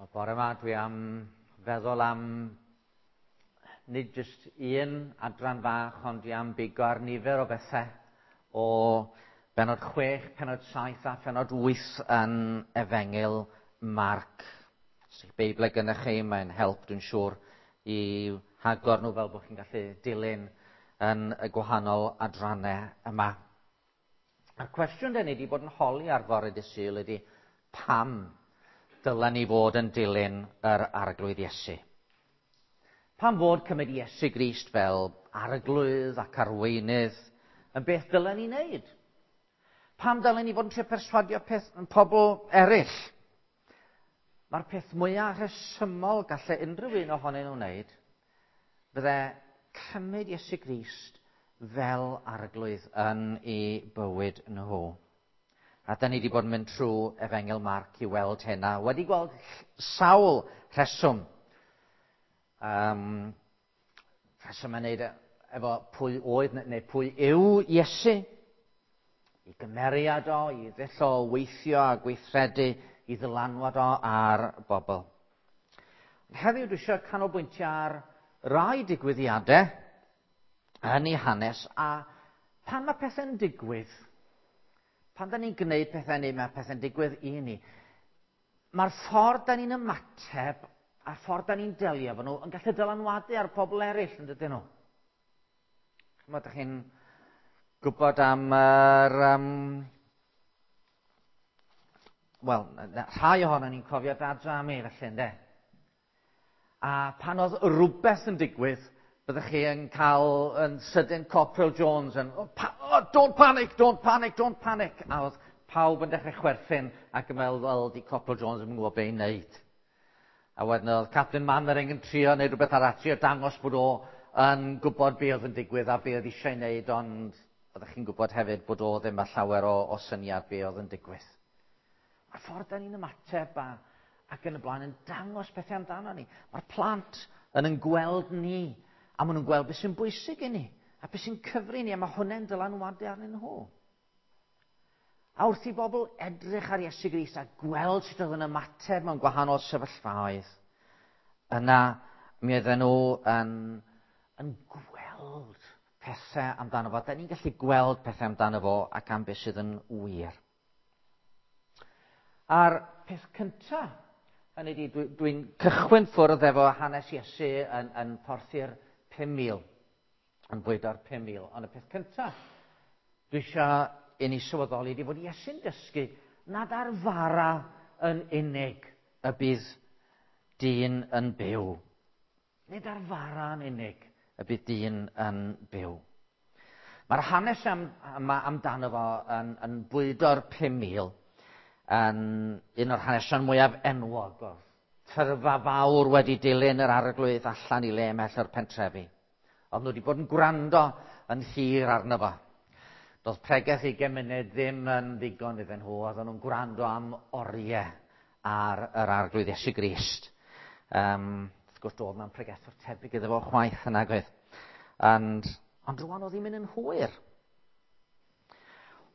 Y bore yma dwi am feddwl am nid jyst un adran fach, ond dwi am bigo ar nifer o bethau o benod 6, penod 7 a phenod 8 yn Efengyl Marc. Os ydych Beiblau gyda chi, mae'n help, dwi'n siŵr, i hagor nhw fel bod chi'n gallu dilyn yn y gwahanol adrannau yma. A'r cwestiwn da ni wedi bod yn holi ar fore dy Sul ydy pam dylen ni fod yn dilyn yr Arglwydd Iesu? Pam fod cymryd Iesu Grist fel arglwydd ac arweinydd yn beth dylen ni wneud? Pam dylen ni fod yn trio perswadio peth, pobl eraill? Mae'r peth mwyaf rhesymol gallai unrhyw un ohonyn nhw wneud fydde cymryd Iesu Grist fel arglwydd yn ei bywyd nhw. A da ni wedi bod yn mynd trwy Efengyl Marc i weld hynna. Wedi gweld sawl rheswm. Rheswm yn neud efo pwy oedd neu pwy yw Iesu, i gymeriad o, i ddull o weithio a gweithredu, i ddylanwad o ar bobl. Heddiw dwi eisiau canolbwyntio ar rai digwyddiadau yn ei hanes a pan mae pethau'n digwydd, pan da ni'n gwneud pethau neu mae pethau'n digwydd i ni, mae'r ffordd da ni'n ymateb a'r ffordd da ni'n delio efo nhw yn gallu dylanwadu ar pobl eraill, yn dydyn nhw? Chymod, ydych chi'n gwybod am yr... Wel, rhai ohono ni'n cofio Dad Rami, felly, ynddo? A pan oedd rhywbeth yn digwydd, byddech chi yn cael yn sydyn Corporal Jones yn, oh, pa, oh, don't panic, don't panic, don't panic. A oedd pawb yn dechrau chwerthin ac yn meddwl, wel, di Corporal Jones ddim yn gwybod beth i wneud. A wedyn oedd Captain Mannering yn trio wneud rhywbeth arall, trio dangos bod o yn gwybod be oedd yn digwydd a be oedd eisiau wneud, ond oeddech chi'n gwybod hefyd bod o ddim â llawer o, o syniad be oedd yn digwydd. Mae'r ffordd da ni'n ymateb a, ac yn y blaen yn dangos pethau amdano ni. Mae'r plant yn yn gweld ni, a maen nhw'n gweld beth sy'n bwysig i ni, a beth sy'n cyfri ni, a mae hwnna'n dylanwadu arnyn nhw. A wrth i bobl edrych ar Iesu Grist a gweld sut oedd yn ymateb mewn gwahanol sefyllfaoedd, yna mi oedden nhw yn, yn gweld pethau amdano fo. Da ni'n gallu gweld pethau amdano fo ac am beth sydd yn wir. A'r peth cyntaf, hynny ydi, dwi'n dwi, cychwyn ffwrdd efo hanes Iesu yn, yn porthi'r 5,000 yn bwydo'r 5,000. Ond y peth cyntaf dwi eisiau i ni sylweddoli ydy bod Iesu'n dysgu nad ar fara yn unig y bydd dyn yn byw. Nid ar fara yn unig y bydd dyn yn byw. Mae'r hanes am, yma amdano fo yn, yn bwydo'r 5,000 yn un o'r hanesion mwyaf enwog o'r tyrfa fawr wedi dilyn yr arglwydd allan i le ymhell o'r pentrefi. Oedd nhw wedi bod yn gwrando yn hir arno fo. Doedd pregeth i gymuned ddim yn ddigon iddyn nhw, oedden nhw'n gwrando am oriau ar yr arglwydd Iesu Grist. Um, wrth gwrs, doedd na'n pregethwr tebyg iddo fo chwaith yna, oedd. And, ond rwan oedd hi'n mynd yn hwyr.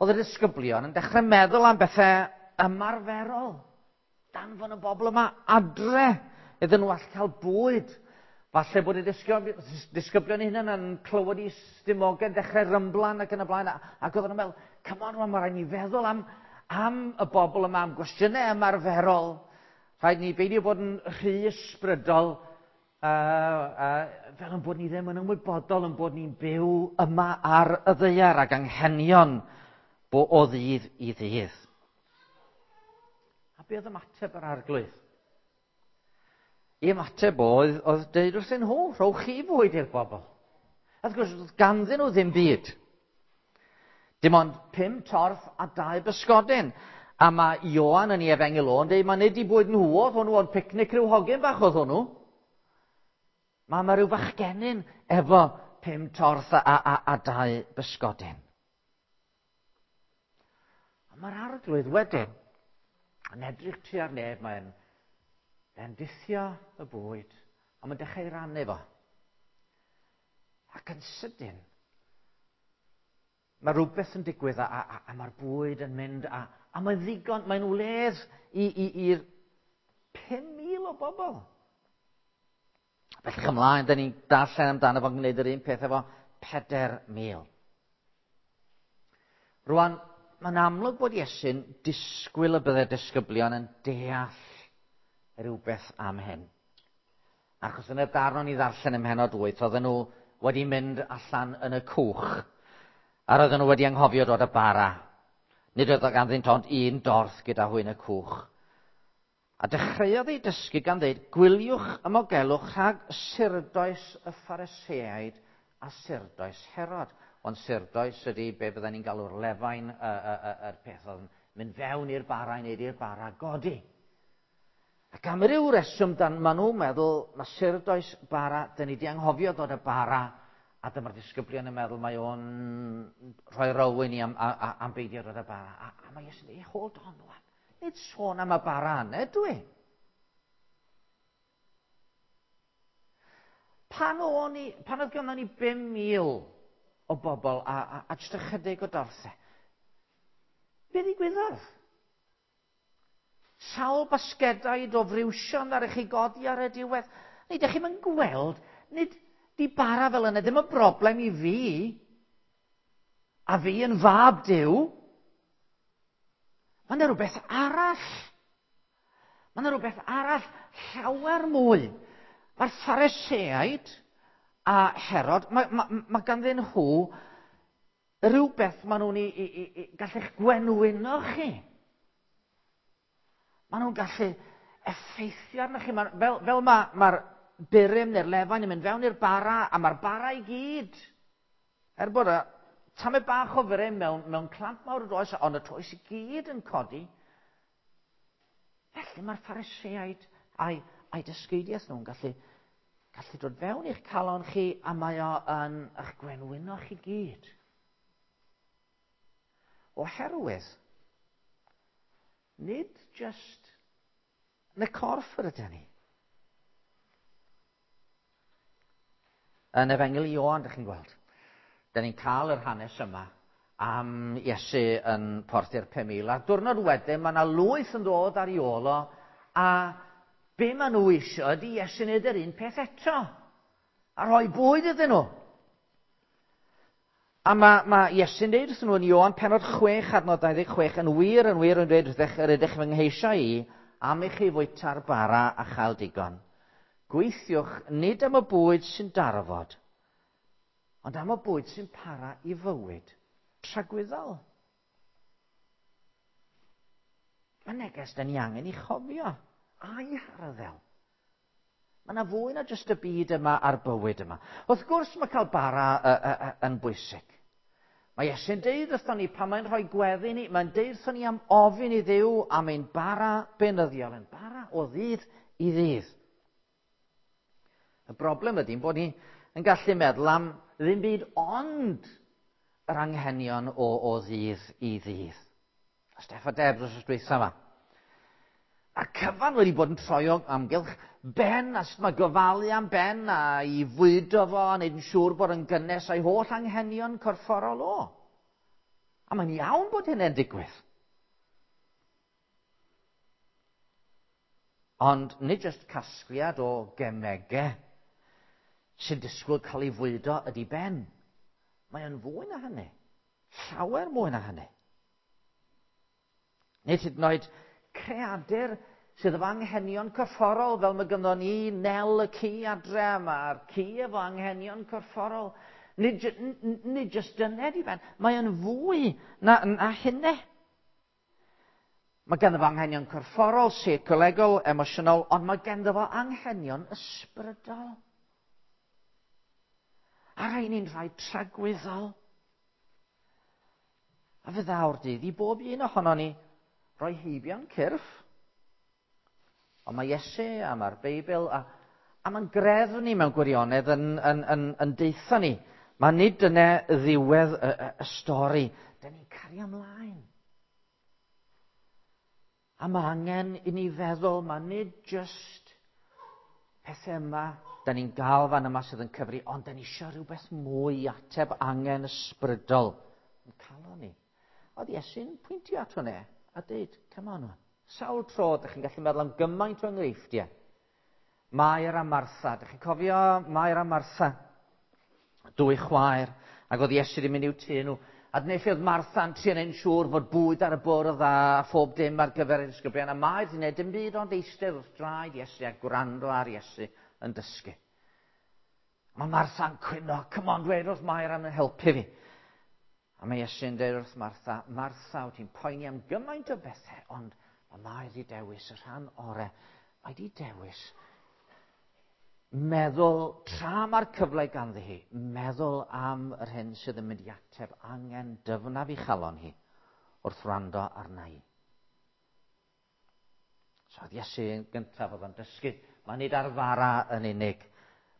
Oedd y disgyblion yn dechrau meddwl am bethau ymarferol. Danfon y bobl yma adre iddyn nhw all cael bwyd. Falle bod y disgyblion eu hunain yn clywed i stumogau'n dechrau rymblan ac yn y blaen. Ac oedden nhw'n meddwl, come on, mae rhaid ni feddwl am, am y bobl yma, am gwestiynau ymarferol. Rhaid ni beidio bod yn rhy ysbrydol, uh, uh, fel yn bod ni ddim yn ymwybodol yn bod ni'n byw yma ar y ddaear ac anghenion bo o ddydd i ddydd. A be oedd ymateb yr arglwydd? I ymateb oedd, oedd dweud wrthyn nhw, rhowch chi fwyd i'r bobl. A wrth gwrs, oedd ganddyn nhw ddim byd. Dim ond pum torth a dau bysgodyn. A mae Ioan yn ei efengyl o'n dweud, mae nid i bwyd nhw oedd hwnnw, ond picnic rhyw hogyn bach oedd hwnnw. Mae mae rhyw fachgenyn efo pum torth a, a, a, a dau bysgodyn. A mae'r arglwydd wedyn yn edrych tua'r nef, mae'n bendithio y bwyd, a mae'n dechrau rannu fo. Ac yn sydyn, mae rhywbeth yn digwydd a, a, a mae'r bwyd yn mynd a, a mae'n ddigon, mae'n wledd i'r 5,000 o o bobl. Bellach ymlaen, da ni'n darllen amdano fo'n gwneud yr un peth efo 4,000. Rwan, mae'n amlwg bod Iesu'n disgwyl y byddai disgyblion yn deall rhywbeth am hyn. Achos yn y darn o'n i ddarllen ym mhennod 8, oedden nhw wedi mynd allan yn y cwch, a roedden nhw wedi anghofio dod â bara. Nid oedd ganddynt ond un dorth gyda hwy yn y cwch. A dechreuodd ei dysgu gan ddeud, gwyliwch ymogelwch rhag surdoes y Phariseaid a surdoes Herod. Ond surdoes ydy be bydden ni'n galw'r lefain, y, y, y, yr peth oedd yn mynd fewn i'r bara i wneud i'r bara godi. Ac am ryw reswm, dan, maen nhw'n meddwl, mae surdoes bara, dyn ni di anghofio dod y bara, a dyma'r disgyblion yn meddwl mae o'n rhoi row i ni am, am, am beidio dod y bara. A, a mae Iesu'n dweud, hold on, wan. Nid sôn am y bara yna, dwi. Pan, o'n i, pan oedd gynnon ni 5,000 o bobl a, a, a jyst ychydig o dorthau, be ddigwyddodd? Sawl basgedaid o friwsion ar eich chi godi ar y diwedd. Nid ydych chi'n gweld, nid di bara fel yna ddim yn broblem i fi. A fi yn fab Duw. Mae yna rhywbeth arall. Mae yna rhywbeth arall llawer mwy. Mae'r Phariseaid a Herod, mae, mae, mae ganddyn nhw rhywbeth maen nhw'n i, i, i, i gallu'ch gwenwyno chi. Maen nhw'n gallu effeithio arnoch chi. Mae, fel fel mae'r ma burum neu'r lefain yn mynd fewn i'r bara, a mae'r bara i gyd. Er bod y tamed bach o furum mewn, mewn clamp mawr o does, ond y toes i gyd yn codi. Felly mae'r Phariseaid a'i, a'i dysgeidiaeth nhw'n gallu, gallu dod fewn i'ch calon chi a mae o yn eich gwenwyno chi gyd. Oherwydd, nid just yn y corff yr ydyn ni. Yn Efengyl Ioan, ydych chi'n gweld. Da ni'n cael yr hanes yma am Iesu yn porthi'r 5,000. A'r diwrnod wedyn, mae yna lwyth yn dod ar ei ôl o, a be maen nhw eisiau ydy Iesu wneud yr un peth eto. A rhoi bwyd iddyn nhw. A mae, mae Iesu'n dweud wrthyn nhw yn Ioan penod 6 adnod 26, yn wir, yn wir yn dweud wrthych, yr ydych fy ngheisio i, am i chi fwyta'r bara a chael digon. Gweithiwch nid am y bwyd sy'n darfod, ond am y bwyd sy'n para i fywyd tragwyddol. Mae neges da ni angen i chofio a'i harddel. Mae yna fwy na jyst y byd yma a'r bywyd yma. Wrth gwrs mae cael bara uh, uh, uh, yn bwysig. Mae Iesu'n deud wrthon ni pan mae'n rhoi gweddi ni, mae'n deud wrthon ni am ofyn i Dduw am ein bara beunyddiol, ein bara o ddydd i ddydd. Y broblem ydy bod ni yn gallu meddwl am ddim byd ond yr anghenion o, o ddydd i ddydd. A Steff a Deb dros y dwytha yma. A'r cyfan wedi bod yn troi o amgylch Ben, a sut mae gofalu am Ben, a i fwydo fo, a wneud yn siŵr bod yn gynnes a'i holl anghenion corfforol o. A mae'n iawn bod hynny'n digwydd. Ond nid jyst casgliad o gemegau sy'n disgwyl cael ei fwydo ydy Ben. Mae o'n fwy na hynny. Llawer mwy na hynny. Nid hyd yn oed creadur sydd efo anghenion corfforol, fel mae gynddon ni Nel y ci adre, mae'r ci efo anghenion corfforol. Nid, nid jyst dyna di ben, mae yn fwy na, na hynny. Mae ganddo fo anghenion corfforol, seicolegol, emosiynol, ond mae ganddo fo anghenion ysbrydol. A rhain ni'n rhai tragwyddol. A fe ddaw'r dydd i bob un ohono ni roi heibio'n cyrff. Ond mae Iesu a mae'r Beibl a, a mae'n greddf ni mewn gwirionedd yn, yn, yn, yn deitha ni. Mae nid dyna ddiwedd y, y, y stori. Dyna ni'n cario ymlaen. A mae angen i ni feddwl, mae nid just pethau yma, da ni'n gael fan yma sydd yn cyfri, ond da ni eisiau rhywbeth mwy i ateb angen ysbrydol yn calon ni. Oedd Iesu'n pwyntio at hwnna a dweud, come on, sawl tro ydych chi'n gallu meddwl am gymaint o enghreifftiau. Mair a Martha. Dych chi'n cofio Mair a Martha? Dwy chwaer, ac oedd Iesu wedi mynd i'w tŷ nhw. A dyna lle oedd Martha'n trio neud yn siŵr fod bwyd ar y bwrdd a phob dim ar gyfer y disgyblion. A Mair wedi gwneud dim byd ond eistedd wrth draed Iesu a gwrando ar Iesu yn dysgu. Mae Martha'n cwyno, come on, dweud wrth Mair am helpu fi. A mae Iesu'n dweud wrth Martha, Martha, wyt ti'n poeni am gymaint o bethau, ond mae Mair wedi dewis y rhan orau. Mae wedi dewis meddwl, tra mae'r cyfle ganddi hi, meddwl am yr hyn sydd yn mynd i ateb angen dyfnaf i chalon hi wrth wrando arna i. So oedd Iesu yn gyntaf oedd o'n dysgu, mae nid ar fara yn unig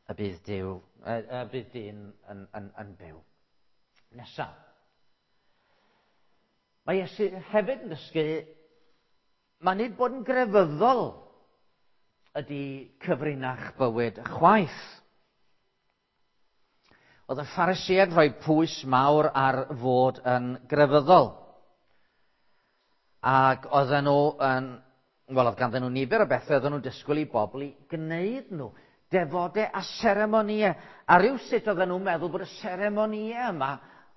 y bydd, Duw, y bydd dyn yn, yn, yn byw. Nesaf. Mae Iesu hefyd yn dysgu, mae nid bod yn grefyddol ydy cyfrinach bywyd chwaith. Oedd y Phariseaid rhoi pwys mawr ar fod yn grefyddol. Ac oedden nhw yn, wel, oedd ganddyn nhw nifer o bethau oedden nhw'n disgwyl i bobl i gwneud nhw. Defodau a seremonïau. A rhywsut oedden nhw'n meddwl bod y seremonïau yma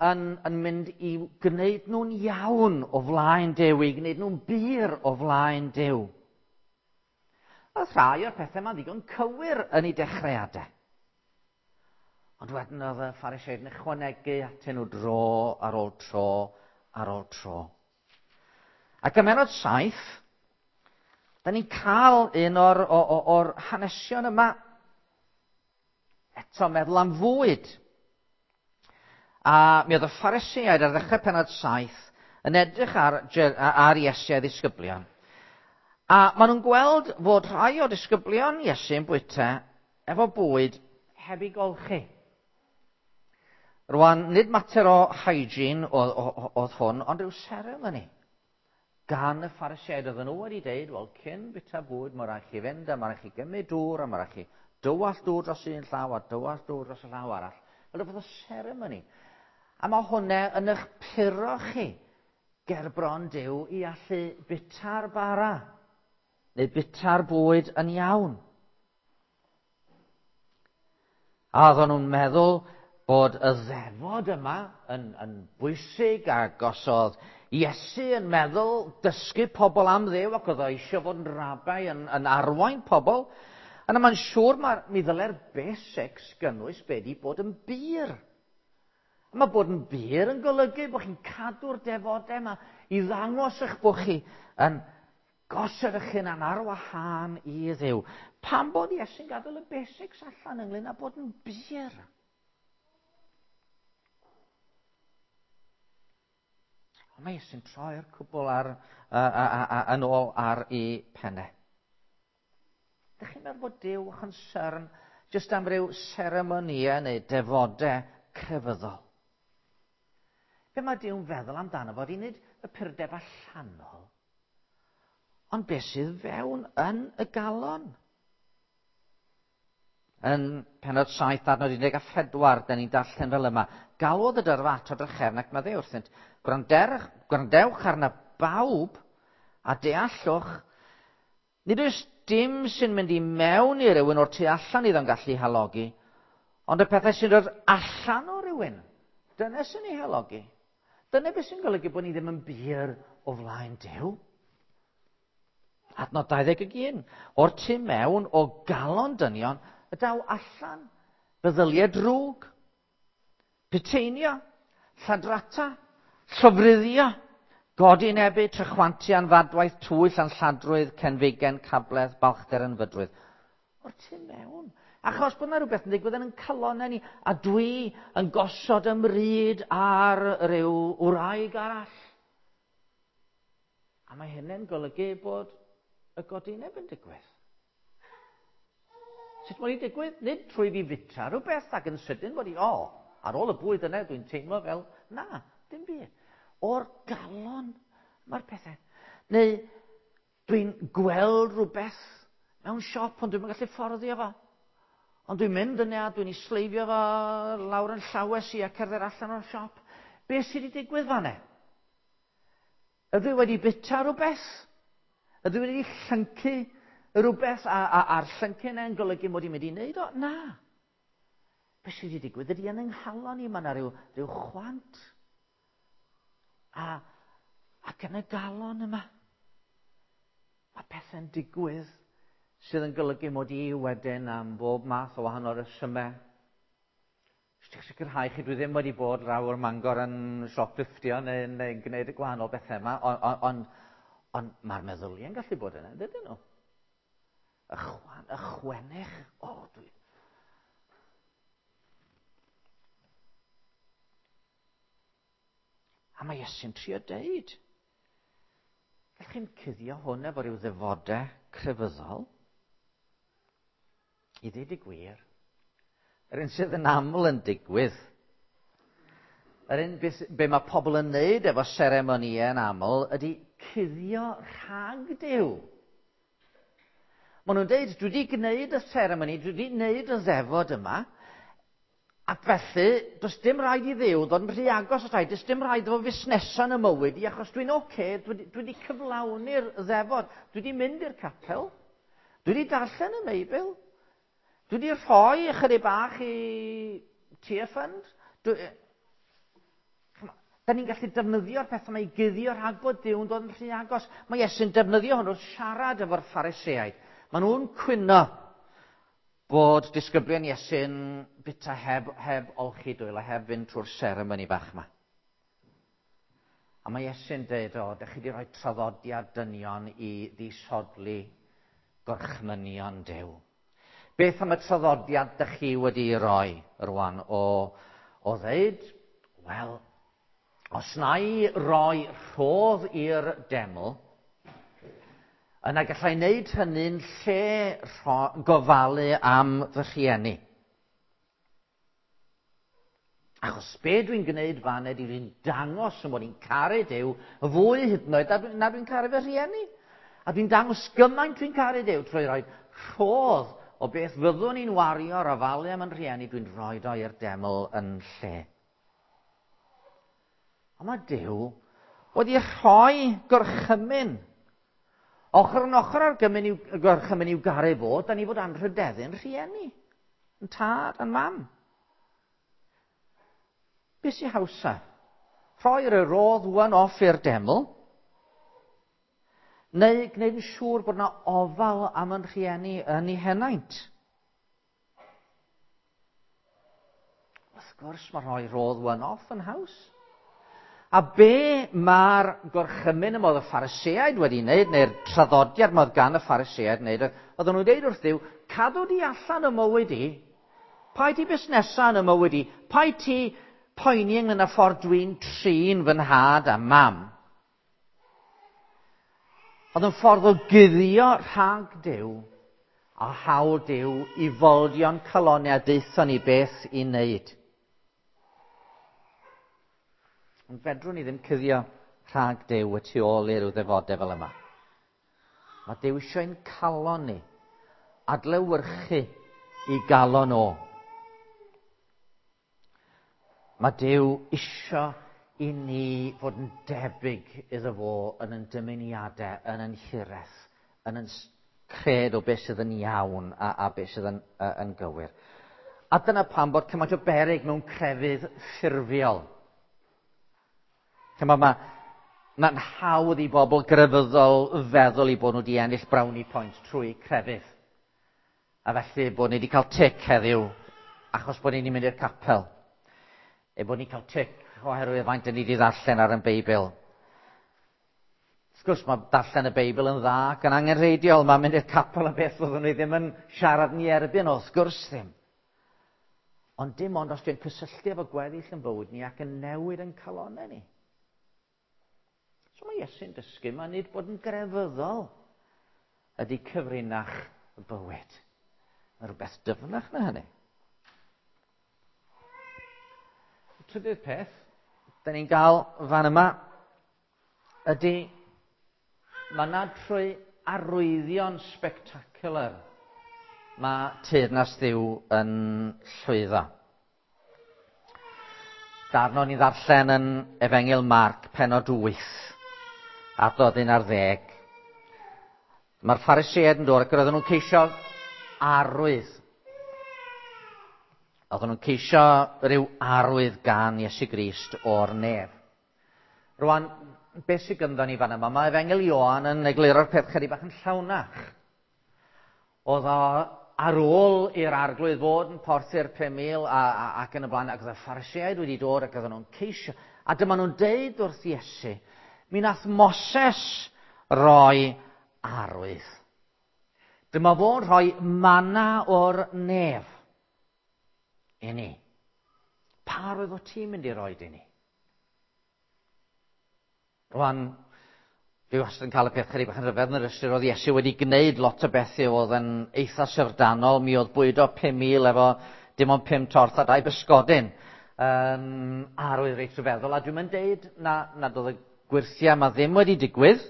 yn, yn mynd i gwneud nhw'n iawn o flaen Duw, i gwneud nhw'n bur o flaen Duw. Oedd rhai o'r pethau yma'n ddigon cywir yn eu dechreuadau. Ond wedyn oedd y Phariseaid yn ychwanegu atyn nhw dro ar ôl tro ar ôl tro. Ac ym mennod 7, da ni'n cael un o'r, o, o, or hanesion yma eto meddwl am fwyd. A mi oedd y Phariseaid ar ddechrau pennod 7 yn edrych ar, ar Iesu a'i ddisgyblion. A maen nhw'n gweld fod rhai o disgyblion Iesu yn bwyta efo bwyd heb ei golchi. Rwan, nid mater o hygiene oedd hwn, ond rhyw ceremony. Gan y Phariseaid oedden nhw wedi deud, wel, cyn bwyta bwyd, mae rhaid chi fynd a mae rhaid chi gymryd dŵr a mae rhaid chi dywallt dŵr dros un llaw a dywallt dŵr dros y llaw arall. Fel rhywbeth o ceremony. A mae hwnna yn eich puro chi ger bron Duw i allu bwyta'r bara neu bwyta'r bwyd yn iawn. A oedden nhw'n meddwl bod y ddefod yma yn, yn bwysig ac os oedd Iesu yn meddwl dysgu pobl am Dduw ac oedd o eisiau fod yn rabai yn, yn arwain pobl, yna mae'n siŵr mae, mi ddylai'r basics gynnwys be di bod yn bur. A mae bod yn bur yn golygu bod chi'n cadw'r defodau yma i ddangos eich bod chi yn gosod eich hunan ar wahân i Dduw. Pam bod Iesu'n gadael y basics allan ynglyn â bod yn bur? Ond mae Iesu'n troi'r cwbl ar, a, a, a, a, yn ôl ar ei pennau. Dych chi'n meddwl bod Duw yn concern jyst am ryw seremonïau neu defodau crefyddol? Be mae Duw'n feddwl amdano fo, di nid y purdeb allanol, ond beth sydd fewn yn y galon. Yn pennod 7, adnod 14, da ni'n darllen fel yma. Galwodd y dyrfa ato drachefn ac maddeu wrthynt, gwrandewch arna bawb a deallwch, nid oes dim sy'n mynd i mewn i rywun o'r tu allan iddo'n gallu halogi, ond y pethau sy'n dod allan o rywun, dyna sy'n ei halogi. Dyna beth sy'n golygu bod ni ddim yn bur o flaen Duw. Adnod 21. O'r tu mewn o galon dynion y daw allan feddyliau drwg, puteinio, lladrata, llofruddio, godinebu, trychwantu, anfadwaith, twyll, anlladrwydd, cenfigen, cabledd, balchder, ynfydrwydd. O'r tu mewn. Achos bod yna rhywbeth yn digwydd yn ein calonnau ni, a dwi yn gosod ymryd ar ryw wraig arall. A mae hynny'n golygu bod y godineb yn digwydd. Sut mae'n digwydd? Nid trwy fi fita rhywbeth ac yn sydyn bod i, o, ar ôl y bwyd yna dwi'n teimlo fel, na, dim byd. O'r galon mae'r pethau. Neu dwi'n gweld rhywbeth mewn siop ond dwi'n gallu fforddio fo. Ond dwi'n mynd yna a dwi'n ei sleifio fo lawr yn llawes i a cerdded allan o'r siop. Be sydd wedi digwydd fan'na? Ydw i wedi bita rhywbeth? Ydw i wedi llyncu Rhywbeth a'r llyncyn e'n golygu mod i'n mynd i wneud o? Na. Be sydd wedi digwydd ydy yn yng nghalon i, mae yna rhyw chwant. Ac yn y galon yma, mae pethau'n digwydd sydd yn golygu mod i wedyn am bob math o wahanol resymau. Jyst i'ch sicrhau chi, dwi ddim wedi bod draw o'r Mangor yn shopliftio neu gwneud y gwahanol bethau yma, ond mae'r meddyliau'n gallu bod yna, dydyn nhw? Y chwan, y chwennych, o, dwi... A mae Iesu'n trio deud, gallwch chi'n cuddio hwn efo rhyw ddefodau crefyddol? I ddweud y gwir, yr un sydd yn aml yn digwydd, yr un be mae pobl yn neud efo seremonïau yn aml ydy cuddio rhag Duw. Maen nhw'n deud, dwi wedi gwneud y seremoni, dwi wedi gwneud y ddefod yma, ac felly, does dim rhaid i Dduw ddod yn rhy agos at rhaid, does dim rhaid iddo fo fusnesa yn y mywyd i, achos dwi'n oce, dwi wedi cyflawni'r ddefod, dwi wedi mynd i'r capel, dwi wedi darllen y Beibl, dwi wedi rhoi ychydig bach i Tear Fund. Da ni'n gallu defnyddio'r pethau yma i guddio rhag bod Duw'n dod yn rhy agos. Mae Iesu'n defnyddio hwn wrth siarad efo'r Phariseaid. Maen nhw'n cwyno bod disgyblion Iesu'n bita heb olchi dwylo, heb fynd trwy'r seremoni bach yma. A mae Iesu'n dweud, o, dych chi wedi rhoi traddodiad dynion i ddisodli gorchmynion Duw. Beth am y traddodiad dych chi wedi roi rwan o ddeud, wel, os na i roi rhodd i'r deml, yna gallai wneud hynny'n lle gofalu am fy rhieni. Achos be dwi'n gwneud fan ydy dwi'n dangos yn bod i'n caru Duw fwy hyd yn oed na dwi'n caru fy rhieni. A dwi'n dangos gymaint dwi'n caru Duw trwy roi rhodd o beth fyddwn i'n wario ar ofalu am yn rhieni, dwi'n rhoi o i'r deml yn lle. Ond mae Duw wedi rhoi gorchymyn. Ochr yn ochr â'r gorchymyn i'w garu fo, da ni fod anrhydeddu'n rhieni, yn tad a'n mam. Be sy'n hawsa? Rhoi'r rodd one-off i'r deml, neu gwneud yn siŵr bod yna ofal am yn rhieni yn ei henaint? Wrth gwrs, mae rhoi rodd one-off yn haws. A be mae'r gorchymyn yma oedd y Phariseaid wedi wneud, neu'r traddodiad yma oedd gan y Phariseaid wneud, oedden nhw'n dweud wrth Dduw, cadw di allan y mywyd i, paid ti busnesa yn y mywyd i, paid ti poeni ynglyn â ffordd dwi'n trin fy nhad a mam. Oedd yn ffordd o guddio rhag Duw a hawl Duw i foldio'n calonau a deuthon ni beth i wneud. Ond fedrwn ni ddim cuddio rhag Duw y tu ôl i ryw ddefodau fel yma. Mae Duw eisiau ein calon ni adlewyrchu i galon o. Mae Duw isio i ni fod yn debyg iddo fo yn ein dymuniadau, yn ein hiraeth, yn ein cred o beth sydd yn iawn a beth sydd yn gywir. A dyna pam bod cymaint o beryg mewn crefydd ffurfiol. Mae'n hawdd i bobl grefyddol feddwl i bod nhw wedi ennill brownie points trwy crefydd. A felly bod ni wedi cael tic heddiw achos bod ni'n mynd i'r capel. E bod ni'n cael tic oherwydd faint ni wedi ddarllen ar yn Beibl. Wrth gwrs, mae darllen y Beibl yn dda ac yn angenrheidiol. Mae'n mynd i'r capel yn beth fyddwn ni ddim yn siarad ni erbyn, wrth gwrs ddim. Ond dim ond os dwi'n cysylltu efo gweddill yn bywyd ni ac yn newid yn calonau ni. So mae Iesu'n dysgu, mae nid bod yn grefyddol ydy cyfrinach y bywyd. Mae rhywbeth dyfnach na hynny. Y trydydd peth, da ni'n gael fan yma, ydy mae nad trwy arwyddion spectacular mae teyrnas Dduw yn llwyddo. Darn o'n i ddarllen yn Efengyl Marc, pennod 8, adnod 11. Mae'r Phariseaid yn dod ac roedden nhw'n ceisio arwydd. Oedden nhw'n ceisio rhyw arwydd gan Iesu Grist o'r nef. Rwan, beth sydd gynddo ni fan yma? Mae Efengyl Ioan yn egluro'r peth chydig bach yn llawnach. Oedd o ar ôl i'r arglwydd fod yn porthu'r 5,000 a, a, ac yn y blaen, ac oedd y Phariseaid wedi dod ac oedden nhw'n ceisio. A dyma nhw'n deud wrth Iesu, mi nath Moses roi arwydd. Dyma fo'n rhoi mana o'r nef i ni. Pa arwydd o ti'n mynd i roi i ni? Rwan, dwi wastad yn cael y peth chydig bach yn rhyfedd yn yr ystyr oedd Iesu wedi gwneud lot o bethau oedd yn eitha syfrdanol. Mi oedd bwydo 5,000 efo dim ond 5 torth a 2 bysgodyn. Arwydd reit rhyfeddol. A dwi'n mynd deud na, nad oedd y gwyrthiau yma ddim wedi digwydd.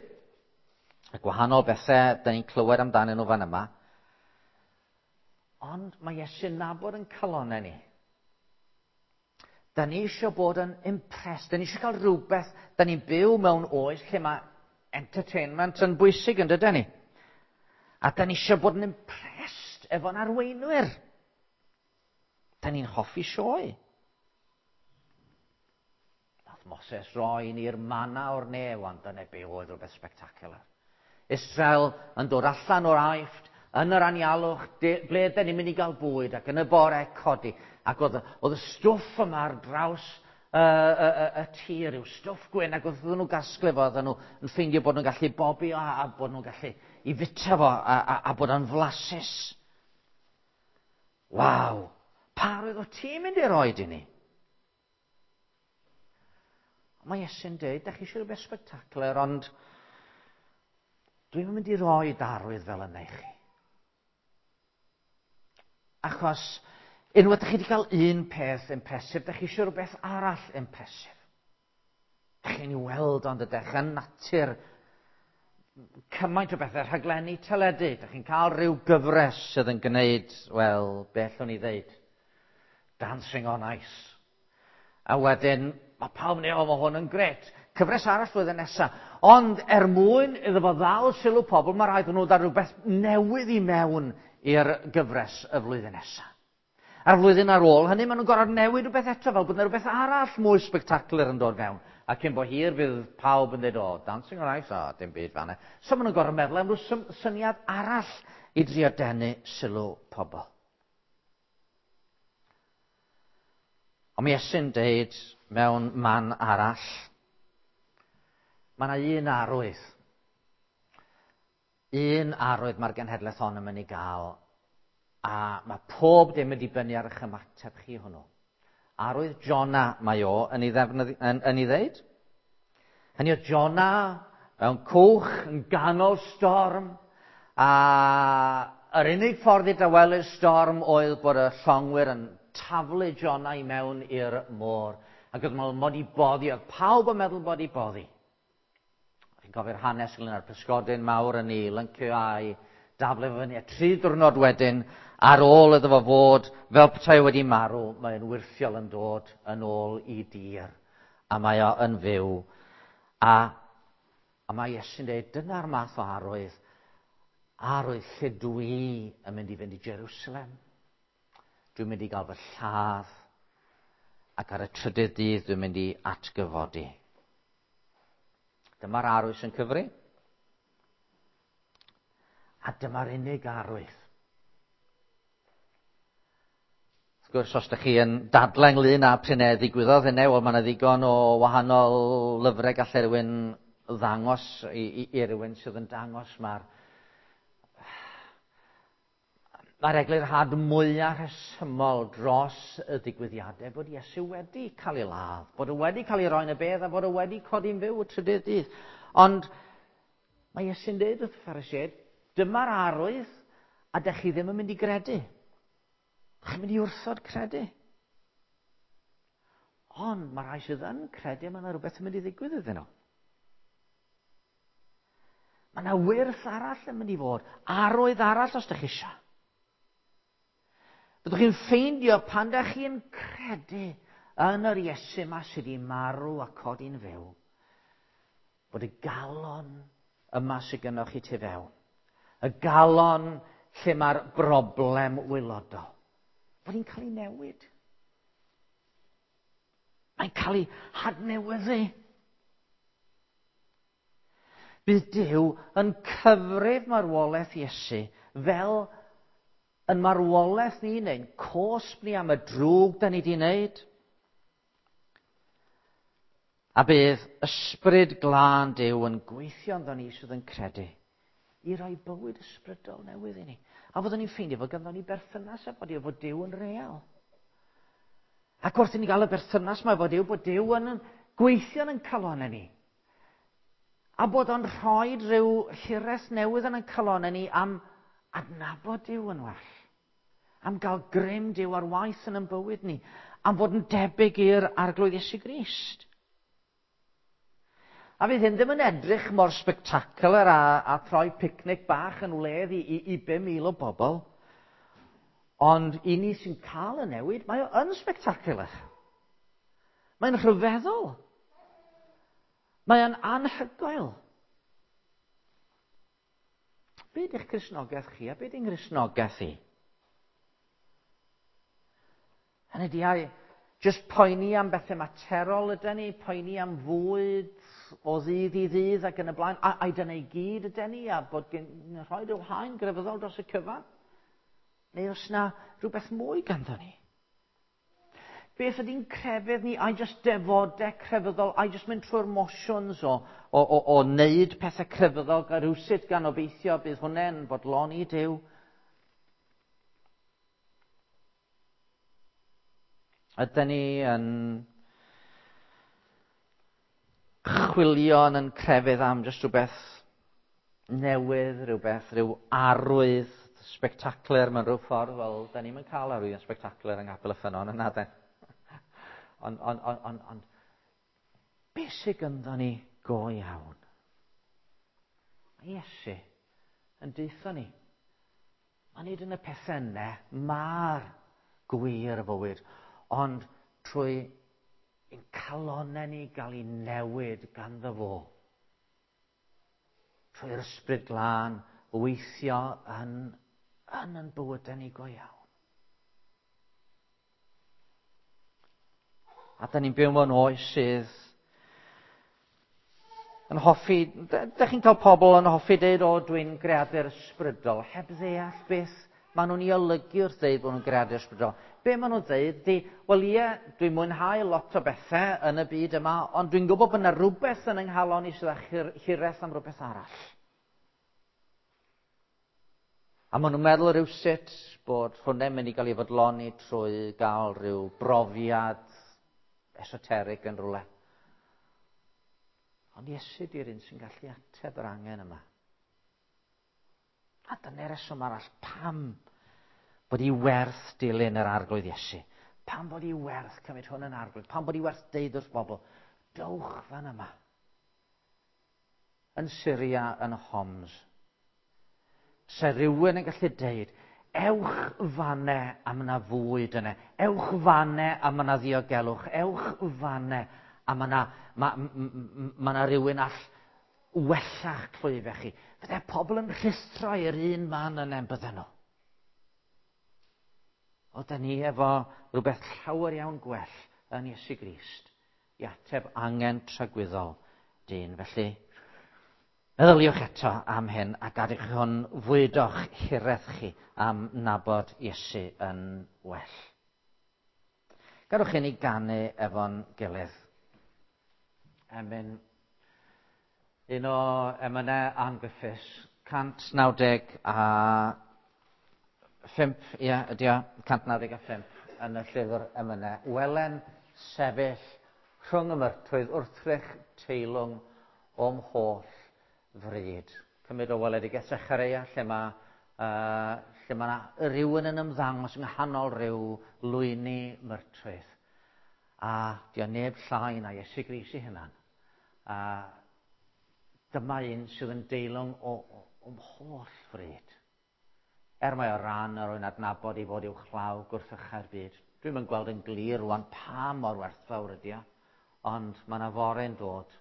Y gwahanol bethau da ni'n clywed amdanyn nhw fan yma. Ond mae Iesu'n nabod yn calonau ni. Da ni eisiau bod yn impressed, da ni eisiau cael rhywbeth, da ni'n byw mewn oes lle mae entertainment yn bwysig yn dydyn ni. A da ni eisiau bod yn impressed efo'n arweinwyr. Da ni'n hoffi sioe. Nath Moses roi ni'r mana o'r nef, ond dyna be oedd rhywbeth spectacular. Israel yn dod allan o'r Aifft, yn yr anialwch, ble ydyn ni'n mynd i gael bwyd, ac yn y bore codi. Ac oedd, oedd y stwff yma ar draws y, y, y, y tir, yw stwff gwyn, ac oedd nhw gasglu fo, oedden nhw yn ffeindio bod nhw'n gallu bobi o, a, a bod nhw'n gallu i fita fo, a, a, a bod o'n flasus. Waw! Pa roedd o ti'n mynd i roed i ni? Mae Iesu'n dweud, da chi eisiau rhywbeth spectacular, ond dwi'n mynd i roi arwydd fel yna i chi. Achos unwaith ydych chi wedi cael un peth impressive, da chi eisiau rhywbeth arall impressive. Da chi'n ei weld ond ydych yn natur cymaint o bethau, rhaglenni teledu. Da chi'n cael rhyw gyfres sydd yn gwneud, wel, be allwn ni ddeud? Dancing on Ice. A wedyn, mae pawb yn o, mae hwn yn gret. Cyfres arall flwyddyn nesaf. Ond er mwyn iddo fo ddal sylw pobl, mae rhaid nhw ddod rhywbeth newydd i mewn i'r gyfres y flwyddyn nesaf. A'r flwyddyn ar ôl hynny, maen nhw'n gorfod newid rhywbeth eto, fel bod yna rhywbeth arall mwy spectacular yn dod fewn. A cyn bo hir fydd pawb yn dweud, o, Dancing on Ice, o, dim byd fanna. So maen nhw'n gorfod meddwl am rhyw syniad arall i drio denu sylw pobl. Ond mi Iesu'n deud mewn man arall, mae yna un arwydd. Un arwydd mae'r genhedlaeth hon yn mynd i gael, a mae pob dim yn dibynnu ar eich ymateb chi hwnnw. Arwydd Jona mae o yn ei, ddefnydd, yn, yn ei ddeud. Hynny o Jona mewn cwch yn ganol storm, a yr unig ffordd i dawelu'r storm oedd bod y llongwyr yn taflu Jona i mewn i'r môr. Ac oedd meddwl mod i boddi, oedd pawb yn meddwl bod i boddi. Chi'n cofio'r hanes ynglyn â'r pysgodyn mawr yn ei lyncio a'i daflu fo fyny. A 3 diwrnod wedyn, ar ôl iddo fo fod fel petai wedi marw, mae'n wyrthiol yn dod yn ôl i dir. A mae o yn fyw. A, a mae Iesu'n dweud, dyna'r math o arwydd. Arwydd lle dwi yn mynd i fynd i Jerusalem. Dwi'n mynd i gael fy lladd. Ac ar y trydydd dydd dwi'n mynd i atgyfodi. Dyma'r arwydd sy'n cyfri. A dyma'r unig arwydd. Wrth gwrs, os ydych chi yn dadlau ynglyn â pryn e ddigwyddodd hynny, wel, mae yna ddigon o wahanol lyfrau gallai rhywun ddangos i, i, i rywun sydd yn dangos mae'r Mae'r eglurhad mwyaf rhesymol dros y digwyddiadau bod Iesu wedi cael ei ladd, bod o wedi cael ei roi yn y bedd a bod o wedi codi'n fyw y trydydd dydd. Ond mae Iesu'n dweud wrth y Phariseaid, dyma'r arwydd a dych chi ddim yn mynd i gredu. Chi'n mynd i wrthod credu. Ond mae rhai sydd yn credu, mae yna rhywbeth yn mynd i ddigwydd iddyn nhw. Mae yna wyrth arall yn mynd i fod, arwydd arall os ydych chi eisiau. Byddwch chi'n ffeindio pan da chi'n credu yn yr Iesu yma sydd wedi marw a codi'n fyw, bod y galon yma sydd gennych chi tu fewn, Y galon lle mae'r broblem wylodol. Bod hi'n cael ei newid. Mae'n cael ei hadnewyddu. Bydd Duw yn cyfrif marwolaeth Iesu fel yn marwolaeth ni neu'n cosb ni am y drwg da ni wedi wneud. A bydd ysbryd glân Duw yn gweithio ynddo ni sydd yn credu i roi bywyd ysbrydol newydd i ni. A fyddwn ni'n ffeindio fod ganddo ni berthynas efo Duw, fod Duw yn real. Ac wrth i ni gael y berthynas mae fod Duw, bod Duw yn gweithio yn calonau ni. A bod o'n rhoi rhyw hiraeth newydd yn ein calonau ni am adnabod Duw yn well. Am gael grym Duw ar waith yn ein bywyd ni. Am fod yn debyg i'r Arglwydd Iesu Grist. A fydd hyn ddim yn edrych mor spectacular a, a troi picnic bach yn wledd i, i, i 5,000 o bobl. Ond i ni sy'n cael y newid, mae o yn spectacular. Mae'n rhyfeddol. Mae o'n anhygoel. Be ydych Cristnogaeth chi a be ydy'n Nghristnogaeth i? Hynny ydi, ai jyst poeni am bethau materol ydyn ni, poeni am fwyd o ddydd i ddydd ac yn y blaen, a, ai dyna i gyd ydyn ni, a bod gen, rhoi rhyw haen grefyddol dros y cyfan? Neu os na rhywbeth mwy ganddo ni? Beth ydy'n crefydd ni? Ai jyst defodau crefyddol? Ai jyst mynd trwy'r motions o, o, o, o wneud pethau crefyddol gan rhywsut gan obeithio bydd hwnna'n bodloni Duw? Ydyn ni yn chwilio yn yn crefydd am jyst rhywbeth newydd, rhywbeth, rhyw arwydd spectacular mewn rhyw ffordd. Wel, da ni'n cael arwydd spectacular yng Nghapel y Ffynnon yna, de. Ond, on, on, on, on, beth sydd gynddo ni go iawn? Mae Iesu yn deutho ni. Mae nid yn y pethau yna, mae'r gwir fywyd, ond trwy ein calonau ni gael ei newid ganddo fo. Trwy'r ysbryd glân weithio yn, yn yn bywydau ni go iawn. A da ni'n byw mewn oes sydd yn hoffi, da chi'n cael pobl yn hoffi deud, o, dwi'n greadur ysbrydol, heb ddeall beth maen nhw'n ei olygu wrth ddeud bod nhw'n greadur ysbrydol. Be maen nhw'n dweud di, wel ie, dwi'n mwynhau lot o bethau yn y byd yma, ond dwi'n gwybod bod yna rhywbeth yn yng nghalon i sydd â hiraeth am rhywbeth arall. A maen nhw'n meddwl rhywsut bod hwnna'n mynd i gael ei fodloni trwy gael rhyw brofiad esoteric yn rhywle. Ond Iesu di'r un sy'n gallu ateb yr angen yma. A dyna'r reswm arall pam bod i werth dilyn yr arglwydd Iesu. Pam bod i werth cymryd hwn yn arglwydd. Pam bod i werth deud wrth bobl, dowch fan yma. Yn Syria, yn Homs. Se rhywun yn gallu deud, ewch fanne am yna fwyd yna, ewch fanne am yna ddiogelwch, ewch fanne am yna, ma, ma, ma yna rhywun all wella'ch clwyfau chi. Fydde pobl yn rhuthro i'r un man yna yn bydden nhw. O, da ni efo rhywbeth llawer iawn gwell yn Iesu Grist i ateb angen tragwyddol dyn. Felly, meddyliwch eto am hyn a gadewch hwn fwydo'ch hiraeth chi am nabod Iesu yn well. Gadewch i ni ganu efo'n gilydd. Emyn, un o emynau Ann Griffiths, 195, ie, ydy o, 195 yn y llyfr emynau. Welen sefyll rhwng y myrtwydd wrthrych teilwng o'm holl fryd. Cymryd o weledigaeth Zechareia, lle mae, uh, lle mae rhywun yn ymddangos yng nghanol rhyw lwyni myrtwydd. A di o neb llai na Iesu Grist ei hunan. A dyma un sydd yn deilwng o, o, o'm holl fryd. Er mae o ran yr oen adnabod ei fod i'w chlaw gwrthychau'r byd. Dwi'm yn gweld yn glir rwan pa mor werthfawr ydi o, ond mae yna fore'n dod,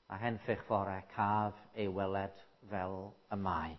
a henffych fore caf ei weled fel y mae.